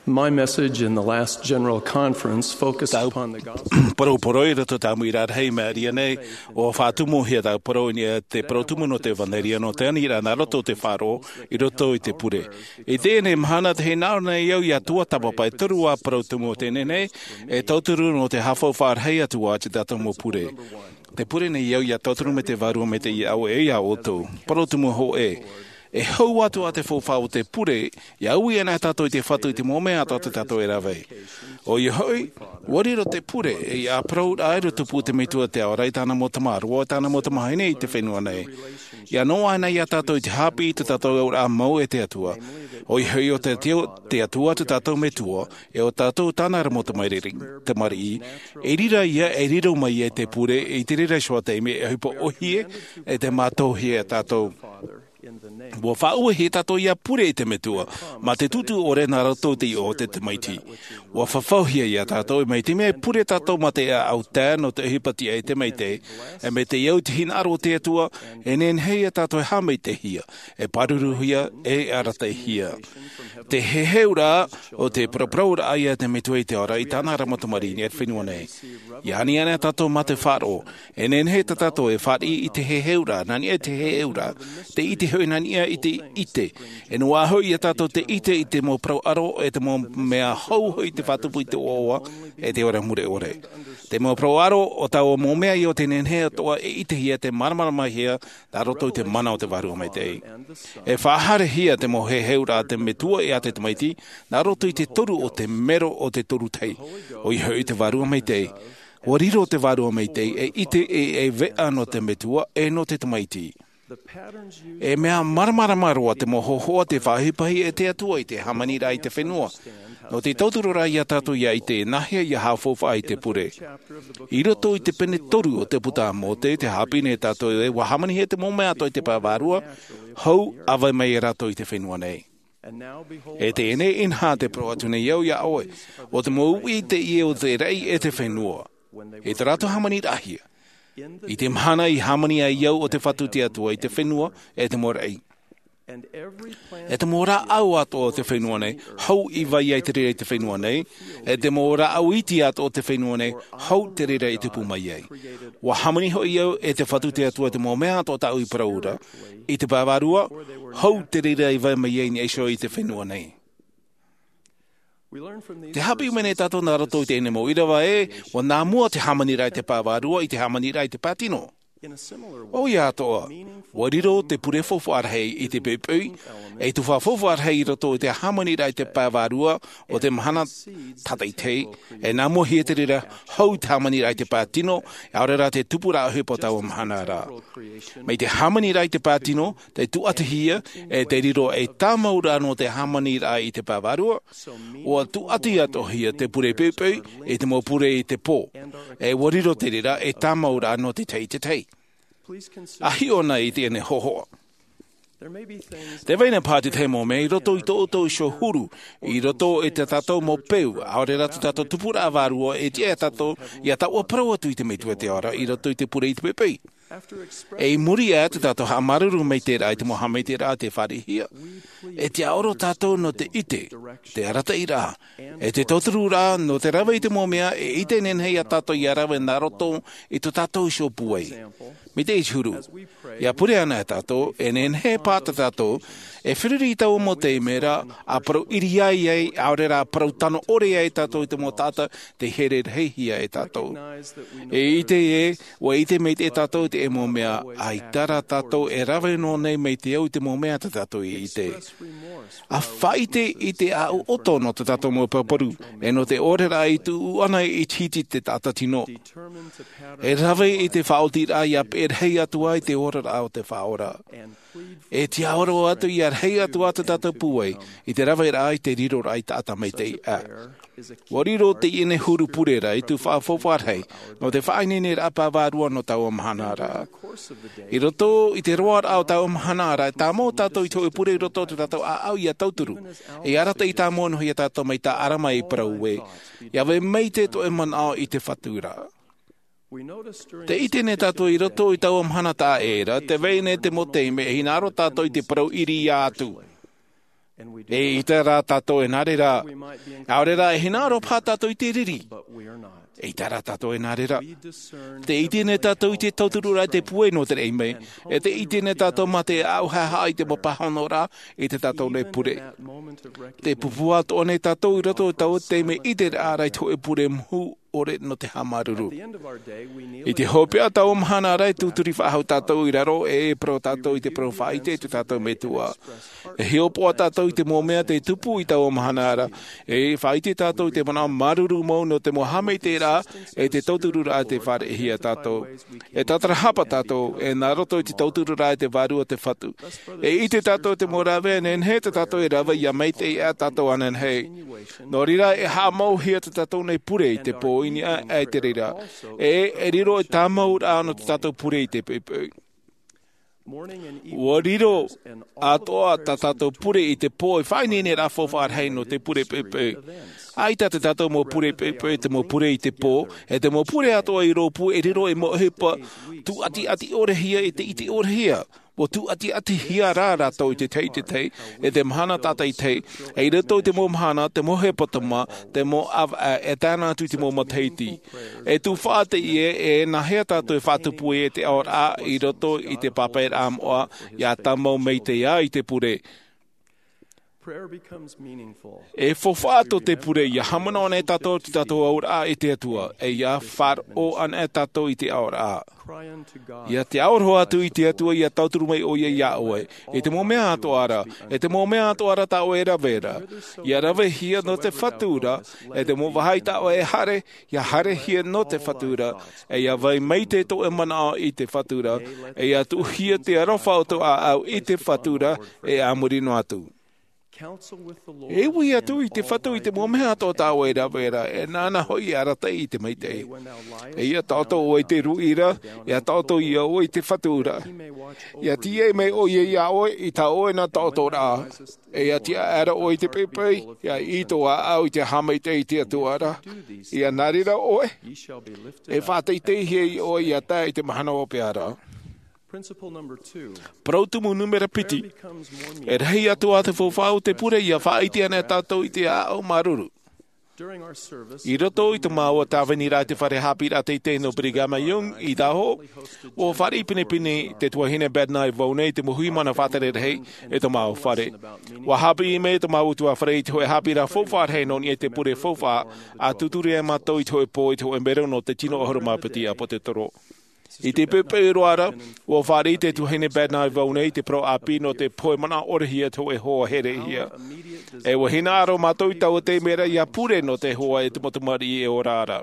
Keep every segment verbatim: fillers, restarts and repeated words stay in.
My message in the last general conference focused Tau upon the gospel. Parau parau i roto i te mau ʻīrā rahi i maʻiri aʻe nei, ʻua faʻatumu hia tau parau i niʻa i te parau tumu nō te ʻevanelia nō te aniraʻa nā roto i te faʻaroʻo i roto i te pure. I teie nei mahana tē hinaʻaro nei au ia tuatāpapa e toru ā parau tumu o teie nei, e tauturu nō te haʻafaufaʻa rahi atu ā te tātou mau pure. Tē pure nei au ia tauturu mai te Vārua Maitaʻi iāʻu e ia ʻoutou. Parau tumu hōʻē. E hau atu ā te faufaʻa o te pure, ia ui ana tātou i te Fatu i te mau mea atoʻa tā tātou e rave. ʻOia hoʻi, ʻua riro te pure, e ia parau rā e tupu te Metua i te ao ra i tāna mau tamāroa, i tāna mau tamāhine i te fenua nei. Ia noaʻa ana ia tātou i te haʻapiʻi i tō tātou auraʻa mau e te Atua. ʻOia hoʻi ʻo te Atua, te Atua tō tātou Metua, e ʻo tātou tāna ra mau tamariʻi, tamariʻi, e riro ia, e riro mai ia i te pure, i te reira iho ā taime, e ʻohipa ʻōhie, e tē mātauhia ia tātou. ʻUa faʻauehia tātou ia pure i te Metua, mā te tūtū ʻore nā roto i te iʻoa o te Tamaiti. ʻUa fafauhia ia tātou, e mai te mea e pure tātou mā te ʻāʻau tae nō te ʻohipa tiʻa i te Maitaʻi, e mai te au i te hinaʻaro o te Atua, e nehenehe ia tātou e haʻamaitaʻihia, e pāruruhia, e arataʻihia. Te heheuraʻa o te paraparauraʻa ia te Metua i te ao ra i tāna ra mau tamariʻi i te fenua nei. Ia ani ana tātou mā te faʻaroʻo, e nehenehe tā tātou e fāriʻi i te heheuraʻa, nā niʻa i te heheuraʻa, te ʻite hoʻi nā niʻa i te ʻite. E noaʻa hoʻi ia tātou te ʻite i te mau parau ʻaro, e te mau mea hou hoʻi te faʻatupu i te ʻoaʻoa, e te ora mure ʻore. Te mau parau ʻaro, ʻo taua mau mea ia ʻo tē nehenehe atoʻa e ʻitehia, te māramaramahia, nā roto i te mana o te Vārua Maitaʻi. E faʻahaerehia te mau heheuraʻa a te Metua e a te Tamaiti, nā roto i te toru o te mero o te toru tahi. ʻOia hoʻi te Vārua Maitaʻi. ʻUa riro te Vārua Maitaʻi, e ʻite e, e veʻa nō te Metua, e nō te Tamaiti. E mea māramarama roa te mau hōhoʻa tē faʻaʻohipahia e te Atua i te hāmaniraʻa i te fenua. Nō te tauturu ra ia tātou ia ʻite e nāhea ia haʻafaufaʻa i te pure. I roto i te pene toru o te puta a Mōte, tē haʻapiʻi nei tātou ē, ʻua hāmanihia te mau mea atoʻa i te pae vārua, hou, ʻa vai mai ia rātou i te fenua nei. E teie nei, inaha, tē parau atu nei au ia ʻoe, ʻo te mau uʻi teie o te raʻi e te fenua. I tō rātou hāmaniraʻahia. I te mahana i hāmani ai au ʻo te Fatu te Atua i te fenua, e te mau raʻi. E te mau rāʻau atoʻa o te fenua nei, hou i vai ai te reira i te fenua nei, e te mau rāʻau iti atoʻa o te fenua nei, hou te reira i tupu mai ai. ʻUa hāmani hoʻi au e te Fatu te Atua i te mau mea atoʻa tāʻu i parau ra, i te pae vārua, hou te reira i vai mai ai i niʻa iho i te fenua nei. Tē haʻapiʻi mai nei tātou nā roto i teie nei mau ʻīrava ē, ʻua nā mua te hāmaniraʻa i te pae vārua i te hāmaniraʻa i te pae tino. ʻOia atoʻa, ʻua riro te pure faufaʻa rahi i te poʻipoʻi, e tuhaʻa faufaʻa rahi i roto i te hāmaniraʻa i te pae vārua o te mahana tātaʻitahi, e nā mua hia te reira hou te hāmaniraʻa i te pae tino, ʻaore rā te tupuraʻa ʻohipa o taua mahana ra. Mai te hāmaniraʻa i te pae tino, tē tūʻatihia, e tē riro ei tāmauraʻa nō te hāmaniraʻa i te pae vārua, ʻua tūʻati atoʻahia te pure poʻipoʻi, i te mau pure i te pō. E ʻua riro te reira ei tāmauraʻa nō te tahi i te tahi. ʻA hiʻo na i teie nei hōhoʻa. Tē vai na paha te tahi mau mea i roto i tō ʻoutou iho huru, i roto i tā tātou mau peu, ʻaore rā tō tātou tupuraʻa vārua, e tiʻa ia tātou, ia taʻua parau atu i te Metua i te ao ra, i roto i te pure i te poʻipoʻi. E i muri aʻe tō tātou haʻamāuruuru maitaʻi i te mau haʻamaitaʻiraʻa tē fāriʻihia, e tiʻaoro tātou nō te ʻite, te arataʻiraʻa, e te tautururaʻa nō te rave i te mau mea e ʻite nehenehe ia tātou ia rave nā roto i tō tātou iho pūai. Mai te huru, ia pure ana tātou, e nehenehe paʻi tā tātou, e feruri i taua mau taime ra, ʻa parau ʻiriaʻi ai, ʻaore rā parau tano ʻore ai tātou i te mau taʻata, tē here rahihia e tātou. E ʻite ē, ʻua ʻite maitaʻi tātou i te mau mea, ʻaita rā tātou e rave noa nei mai te au i te mau mea tā tātou i ʻite. ʻA faʻaʻite i te ʻāʻau ʻoto nō tō tātou mau pāpū, e nō te ʻōreraʻa i tuʻu ana i te hiti te taʻata tino. E rave i te faʻaotiraʻa ia peʻe rahi atu ai te oraraʻa o te Faʻaora. E tiʻaoro atu ia rahi atu ā tō tātou pūai, i te raveraʻa i te riroraʻa i taʻata maitaʻi aʻe. ʻUa riro teie nei huru pure ra i te tuhaʻa faufaʻa rahi, nō te faʻaineineraʻa pae vārua nō taua mahana ra. I roto i te roaraʻa o taua mahana ra, e tāmau tātou i te hōʻē pure i roto i tō tātou ʻāʻau ia tauturu. E arataʻi tāmau noa ia tātou mai tā ʻArama i parau ē, ia vai maitaʻi tō ʻoe manaʻo i te Fatu ra. Tē ʻite nei tātou i roto i taua mahana taʻa ʻē ra, tē vai nei te mau taime e hinaʻaro tātou i te parau ʻiriaʻi atu. E ʻite rā tātou e nā reira, ʻaore rā e hinaʻaro paha tātou i te riri. E ʻite rā tātou e nā reira. Te ʻite nei tātou i te tauturu rā i te pūai nō te reira mai. E te ʻite nei tātou mā te ʻauhaʻa i te mau pāhono rā i te tātou nei pure. Te pūpū atoʻa nei tātou i roto i taua taime ʻite rā i te hōʻē pure mahu ʻore nō te haʻamāuruuru. I te hopeʻa taua mahana rā e tūturi faʻahou tātou i raro e parau tātou i te parau faʻaʻite i te tātou metua. E hiʻopoʻa tātou i te mau mea te tupu i taua mahana rā. E faʻaʻite tātou i te manaʻo māuruuru mau nō te mau haʻamaitaʻiraʻa e te tauturu rā te fāriʻihia tātou. E tātarahapa tātou e nā roto i te tauturu rā te vārua te fatu. E ʻite tātou te mau rave e nehenehe tā tātou e rave ia maitaʻi ʻā tātou ananahi. Nō reira e haʻamauhia tā tātou nei pure i te pō i niʻa e te reira. E e riro e tāmau rā nō tā tātou pure i te pepe. Ua riro atoʻa tā tātou pure i te pō e faʻaineine rā faufaʻa rahi nō te pure pepe. ʻAita tā tātou mau pure pepe te mau pure i te pō e te mau pure atoʻa i rōpū e riro e mau ʻohipa tūʻatiʻati ʻorehia e te ʻite ʻorehia. Ua tūʻatiʻatihia rā rātou i te tahi i te tahi e te mahana tātaitahi. E i roto i te mau mahana te mau hepetoma te mau ʻāvaʻe e taena atu i te mau matahiti. E tū faʻaʻite ʻē e nāhea tātou e faʻatupu ai e te aoraʻa i roto i te pāpaʻiraʻa moʻa ia tāmau maitaʻi ʻā i te pure. E faufaʻa tō te pure ia haʻamanaʻo nei tātou te tātou aoraʻa i te atua e ia faʻaroʻo ana e tātou i te aoraʻa. Ia te aoroha atu i te atua ia tauturu mai ʻoia iā ʻoe i te mau mea atoʻa rā e te mau mea atoʻa rā tā ʻoe e rave ra. Ia ravehia nō te fatu ra e te mau vāhi tā ʻoe e haere ia haerehia nō te fatu ra. E ia vai maitaʻi tō ʻoe manaʻo i te fatu ra e ia tuʻuhia te aroha o tō ʻāʻau i te fatu ra. E a muri noa atu e ui atu i te fatu i te mau mea atoʻa tā ʻoe e rave ra e nāna hoʻi e arataʻi i te maitaʻi. E ia taʻoto ʻoe i te ruʻi ra ia taʻoto ia ʻoe i te fatu ra. Ia tīaʻi mai ʻoia iā ʻoe i tā ʻoe nā taʻoto rā e ia tiʻaʻera ʻoe i te pepe ia i tō ʻāʻau i te haʻamaitaʻi i te atua ra. Ia nā reira ʻoe e faʻateiteihia ʻoe ia tae i te mahana ʻopeʻa ra. Parau tumu numera piti. E rahi atu ā te faufaʻa o te pure ia faʻaʻite ana e tātou i te ʻāʻau māuruuru. I roto i te māua tāvini rā i te fare haʻapiʻiraʻa teitei nō brigham young i tahoʻo ua fāriʻi pinepine te tuahine bednar i vau nei i te mau huimana faʻatere rahi i te māua fare. Ua haʻapiʻi mai te māua utuāfare i te hōʻē haʻapiʻiraʻa faufaʻa rahi nō niʻa i te pure faufaʻa a tūturi ai mātou i te hōʻē pō i te hōʻē mero nō te tino ʻahuru mā piti ʻāpōtetoro. I te pepe roa ra ua fāriʻi te tuahine bednar i vau nei i te parau ʻāpī nō te pohe manaʻo ʻorehia te hōʻē hoa herehia. E ua hinaʻaro mātou i taua taime ra ia pure nō te hoa e te mau tamariʻi e ora ra.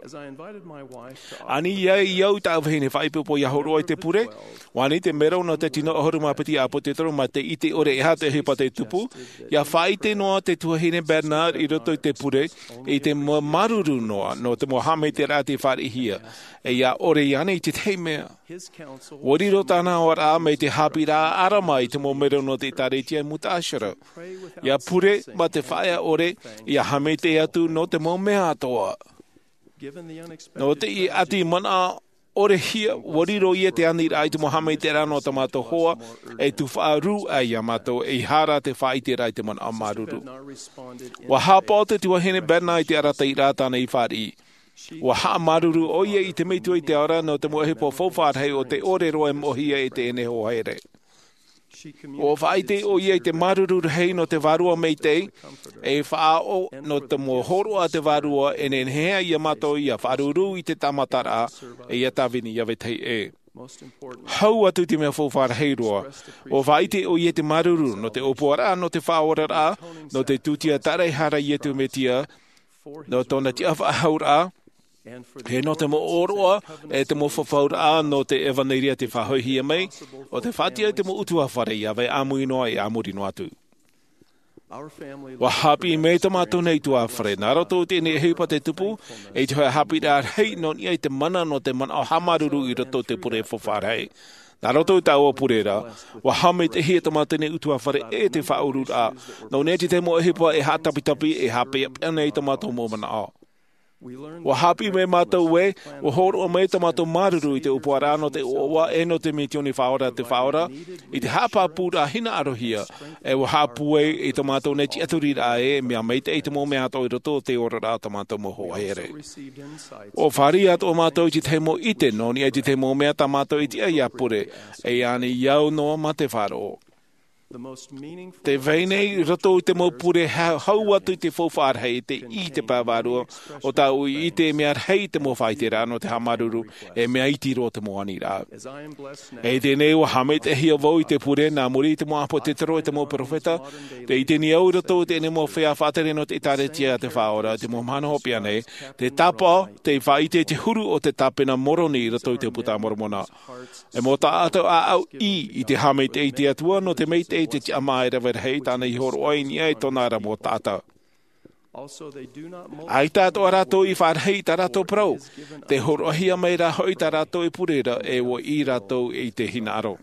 Ani ia i au i taʻu vahine faʻaipoipo ia hōroʻa i te pure. Ua ani te mero nō te tino ʻahuru mā piti ʻāpōtetoro mā te ʻite ʻore e aha te ʻohipa te tupu. Ia faʻaʻite noa te tuahine bednar i roto i te pure i te māuruuru noa nō te mau haʻamaitaʻiraʻa te fāriʻihia. E ia ʻore iāna i tētahi mea. Ua riro tāna aoraʻa mai te haʻapiʻiraʻa ʻarama i te mau mero nō te ʻēkālesia i mutaaʻera. Ia pure mā te faʻaea ʻore ia haʻamaitaʻi atu nō te mau mea atoʻa. Nō te ʻati manaʻo ʻorehia ua riro ia te aniraʻa i te mau haʻamaitaʻiraʻa nō tā mātou hoa e tufaʻa rū ai iā mātou e i hara te faʻaʻiteraʻa i te manaʻo māuruuru. Ua haʻapaʻo te tuahine bednar i te arataʻiraʻa tāna i fāriʻi. Ua haʻamāuruuru ʻoia i te metua i te ao ra nō te mau ʻohipa faufaʻa rahi o te ʻore roa e moʻehia e teie nei hoa here. Ua faʻaʻite ʻoia i te māuruuru rahi nō te vārua maitaʻi e faʻaʻo nō te mau hōroʻa a te vārua e nehenehe ai iā mātou ia faʻaruru i te tāmataraʻa e ia tāvini ia vetahi ʻē. Hau atu i te mea faufaʻa rahi roa ua faʻaʻite ʻoia i te māuruuru nō te ʻōpuaraʻa nō te faʻaoraraʻa nō te tūtia taraehara iesu mesia nō tōna tiʻafaʻahouraʻa e nō te mau ʻōroʻa e te mau fafauraʻa nō te ʻevanelia te faʻahoʻihia mai o te faʻatiʻa i te mau utuāfare ia vai ʻāmui noa e ʻāmuri noa atu. Ua haʻapiʻi mai tā mātou nei utuāfare nā roto i teie nei ʻohipa te tupu i te hōʻē haʻapiʻiraʻa rahi nō niʻa i te mana nō te manaʻo haʻamāuruuru i roto i te pure faufaʻa rahi. Nā roto i taua pure ra ua haʻamaitaʻihia tā mātou nei utuāfare e te faʻaururaʻa nō niʻa i te mau ʻohipa e haʻatapitapi e haʻapeʻapeʻa nei tā mātou mau manaʻo. Ua hāpiʻi mai mātou ē, ua hōroʻa mai tā mātou māuruuru i te ʻōpuaraʻa nō te ʻoaʻoa e nō te misiōni faʻaora a te Faʻaora, i te haʻapāpūraʻa hinaʻarohia, e ua haʻapūai i tā mātou nei tiʻaturiraʻa ē, mea maitaʻi te mau mea atoʻa i roto o te oraraʻa o tā mātou mau hoa here. Ua fāriʻi atoʻa mātou i te tahi mau ʻite nō niʻa i te tahi mau mea tā mātou i tiʻa ʻia pure, e ānei au noa mā te faʻaroʻo. Te vai nei i roto i te mau pure ha-, hau atu i te faufaʻa rahi, te ʻī i te pae vārua o tāʻu i ʻite e mea rahi te mau faʻaiteraʻa nō te haʻamāuruuru, e mea iti roa te mau aniraʻa. E teie nei ua haʻamaitaʻihia vau i te pure nā muri i te mau ʻāpōsetolo e te mau perofeta, tē ʻite nei au i roto i teie nei mau feiā faʻatere nō te ʻĒtārētia a te Faʻaora, te mau mahana hopeʻa nei, te tāpaʻo, te faʻaʻite i te huru o te tāpena Moroni i roto i te Puta a Moromona. E mau taʻata ʻāʻau ʻī i te haʻamaitaʻi i te Atua nō te maitaʻi i te tiʻamā e rave rahi tāna i hōroʻa i niʻa i tōna ra mau taʻata. ʻAita atoʻa rātou i faʻarahi i tā rātou parau, tē hōroʻahia mai rā hoʻi tā rātou i pure ra e ua ʻī rātou i te hinaʻaro.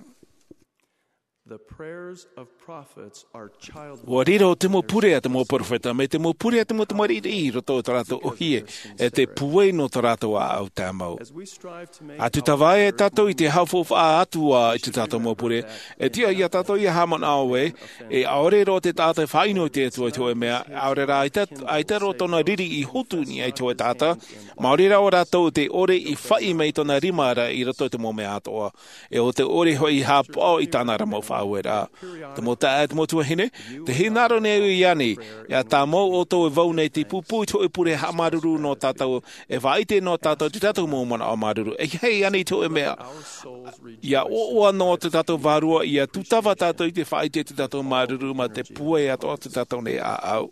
Ua riro te mau pure a te mau perofeta, mai te mau pure a te mau tamariʻi i roto i tā rātou ʻōhie, e te pūai nō tā rātou ʻāʻau tāmau. ʻA tūtava ai tātou i te haʻafaufaʻa atu ā i tā tātou mau pure, e tiʻa ia tātou ʻia haʻamanaʻo ē, e ʻaore roa te taʻata e faʻaʻino i te Atua i te hōʻē mea, ʻaore rā ʻaita, ʻaita roa tōna riri i hotu i niʻa i te hōʻē taʻata, maori rā ʻo rātou te ʻore i faʻi mai tōna rima ra i roto i te mau mea atoʻa. E ʻo te ʻore hoʻi i haʻapaʻo i tāna ra mau faʻaueraʻa. Te mau taeaʻe, te mau tuahine, tē hinaʻaro nei au iāna, ʻia tāmau ʻoutou e vau nei te pūpū i te hōʻē pure haʻamāuruuru nō tātou, e faʻaʻite nō tātou te tātou mau manaʻo māuruuru. E ʻeiaha iāna i te hōʻē mea ʻia ʻoaʻoa noa tā tātou vārua, ʻia tūtava tātou i te faʻaʻite i tā tātou māuruuru mā te pūai atoʻa o tā tātou nei ʻāʻau.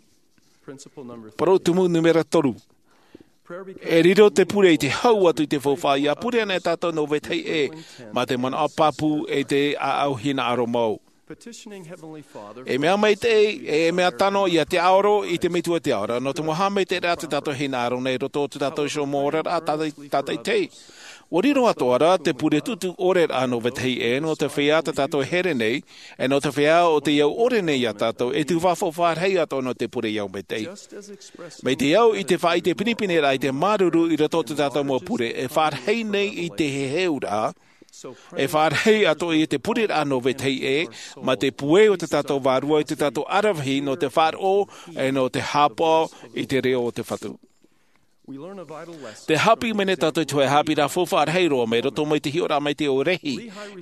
Parau tumu nūmera toru. E riro te pure i te hau atu i te faufaʻa, ʻia pure anaʻe tātou nō vetahi ʻē, mā te manaʻo pāpū e te ʻāʻau hinaʻaro mau. E mea maitaʻi, e mea tano ʻia tiʻaoro i te Metua o te Ao ra, nō te mau haʻamaitaʻiraʻa tā tātou hinaʻaro nei i roto i tā tātou iho mau oraraʻa tātaʻitahi. Ua riro atoʻa ra te pure tuʻutuʻu ʻore ra nō vetahi ʻē, nō te feiā tā tātou e here nei, e nō te feiā o tei au ʻore nei ia tātou, e tū faufaʻa rahi atoʻa nō te pure ʻia au maitaʻi. Mai te au i te faʻaʻite pinepine ra i te māuruuru i roto i tā tātou mau pure, e faʻarahi nei i te heheuraʻa, e faʻarahi atoʻa i te pureraʻa nō vetahi ʻē, mā te pūai o tā tātou vārua i tā tātou ʻaravihi nō te faʻaroʻo, e nō te haʻapaʻo i te reo o te Fatu. Te haʻapiʻi mai nei tātou i te hōʻē haʻapiʻiraʻa faufaʻa rahi roa mai roto mai te hiʻoraʻa maitaʻi o Rehi,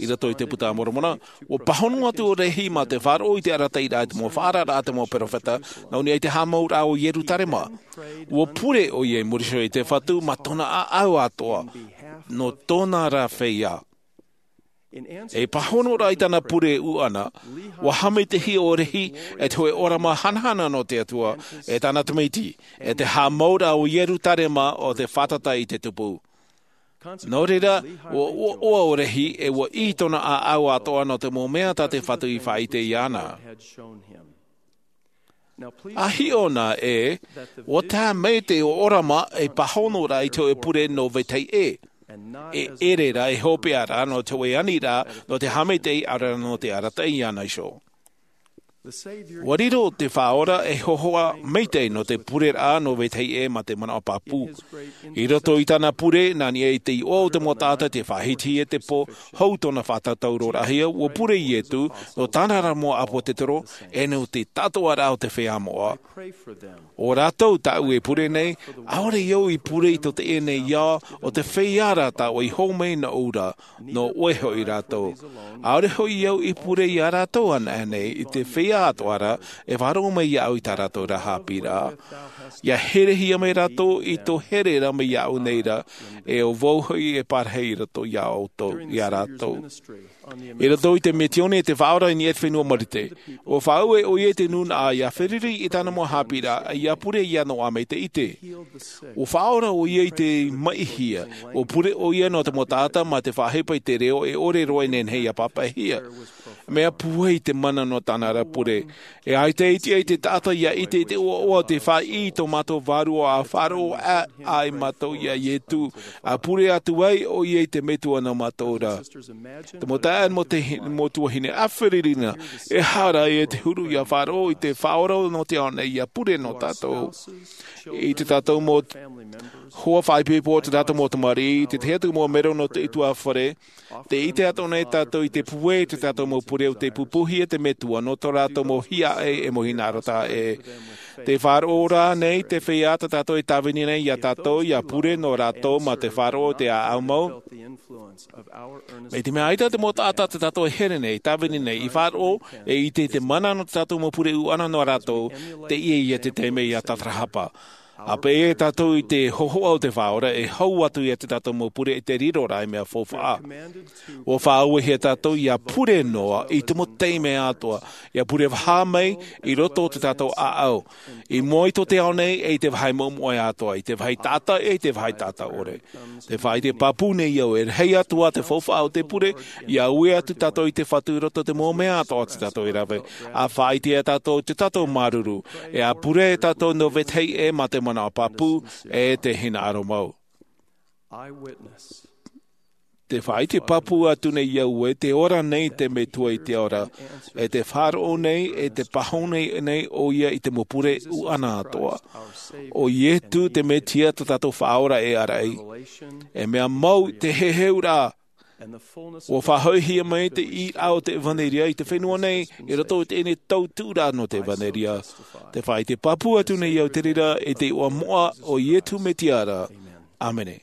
i roto i te Puta a Moromona. Ua pāhono atu ʻo Rehi mā te faʻaroʻo i te arataʻiraʻa i te mau faʻaararaʻa a te mau perofeta, nō niʻa i te haʻamauraʻa o Ierutarema. Ua pure ʻoia i muri iho i te Fatu mā tōna ʻāʻau atoʻa, nō tōna ra feiā. E pāhono ra i tāna pure ʻuʻana, ua haʻamaitaʻihia ʻo Rehi e te hōʻē ʻōrama hanahana nō te Atua, e tāna Tamaiti, e te haʻamauraʻa o Ierutarema ʻo te fātata i te tupu. Nō reira, ua ʻoaʻoa ʻo Rehi, e ua ʻī tōna ʻāʻau atoʻa nō te mau mea tā te Fatu i faʻaʻite iāna. ʻA hiʻo na ē, ʻua tae mai te ʻōrama e pāhono ra i te hōʻē pure nō vetahi ʻē, e ʻere ra, e hopeʻa ra nō te hōʻē aniraʻa, nō te haʻamaitaʻi, ʻaore rā nō te arataʻi iāna iho. Ua riro te Faʻaora ei hōhoʻa maitaʻi nō te pureraʻa nō vetahi ʻē mā te manaʻo pāpū. I roto i tāna pure, nā niʻa i te iʻoa o te mau taʻata, te faʻahitihia te pō, hou tōna faʻatātauroraʻahia, ua pure Ietu, nō tāna ra mau ʻāpōsetolo, e nō te tātoʻaraʻa o te feiā moʻa. ʻO rātou tāʻu e pure nei, ʻaore i au i pure i tō teie nei ao, ʻo te feiā rā tāʻu i hōmai nōʻu ra, nō ʻoe hoʻi rātou. ʻAore hoʻi au i pure ia rātou anaʻe nei, i te feiā atoʻa ra, e faʻaroʻo mai iāʻu i tā rātou ra haʻapiʻiraʻa. ʻIa herehia mai rātou i tō here ra mai iāʻu nei ra, e ʻo vau hoʻi e parahi i roto iā ʻoutou, iā rātou. I roto i te misiōni a te Faʻaora i niʻa i te fenua Marite, ua faʻaue ʻoia i te nūnaʻa ʻia feruri i tāna mau haʻapiʻiraʻa, ʻia pure iāna ʻo ʻĀmai te ʻite. Ua faʻaora ʻoia i te maʻihia, ua pure ʻoia nō te mau taʻata mā te faʻaʻohipa i te reo e ʻore roa e nehenehe ʻia pāpaʻihia. Mea pūai te mana nō tāna ra pure. E ʻaita e ʻite ai te taʻata ia ʻite i te ʻoaʻoa o te fāʻi i tō mātou vārua a faʻaroʻo ʻā ai mātou iā Ietu, a pure atu ai ʻoia i te metua nō mātou ra. Te mau taeaʻe mo te hi-, mau tuahine, ʻāfiri rina, e hara e te huru ia faʻaroʻo i te Faʻaora nō te ao nei ia pure nō tātou. I te tātou mau hoa faʻaipoipo, te tātou mau tamariʻi, te tahi atu mau mero nō te ʻutuāfare, te ʻite atoʻa nei tātou i te pūai i te tātou mau pure o te pupuhia te metua nō tō rātou mau hiaʻai e mau hinaʻaro taʻa ʻē. Te faʻaroʻo rā nei te feiā tā tātou e tāvini nei iā tātou ia pure nō rātou mā te faʻaroʻo i te ʻāʻau mau. Mai te mea ʻaita te mau taʻata tā tātou e here nei, tāvini nei, i faʻaroʻo, e ʻite i te mana nō tā tātou mau pure ʻuʻana nō rātou, teie ia te taime ia tātarahapa. A pēʻe tātou i te hōhoʻa o te Faʻaora, e hau atu ia tā tātou mau pure i te riro ra i mea faufaʻa. ʻUa faʻauehia tātou ia pure noa i te mau taime atoʻa, ia pure vaha mai i roto o tā tātou ʻāʻau, i mua i tō te ao nei, e i te vāhi moʻemoʻe atoʻa, i te vāhi taʻata, e i te vāhi taʻata ʻore. Te faʻaʻite pāpū nei au, e rahi atu ā te faufaʻa o te pure, ia ui atu tātou i te Fatu i roto i te mau mea atoʻa tā tātou e rave. ʻA faʻaʻite ia tātou i tō tātou māuruuru, e ʻa pure tātou nō vetahi ʻē mā te manaʻo pāpū, e te hinaʻaro mau. Te faʻaʻite pāpū atu nei au ē, tē ora nei te Metua i te ao ra, e tē faʻaroʻo nei, e tē pāhono nei ʻoia i te mau pure ʻuʻana atoʻa. ʻO Ietu te Mesia tā tātou Faʻaora e ʻāraʻi. E mea mau te heheuraʻa. ʻUa faʻahoʻihia mai te ʻīraʻa o te ʻevanelia i te fenua nei, i roto i teie nei tautuʻuraʻa nō te ʻevanelia. Te faʻaʻite pāpū atu nei au i te reira, i te iʻoa moʻa o Ietu Mesia ra. ʻĀmene.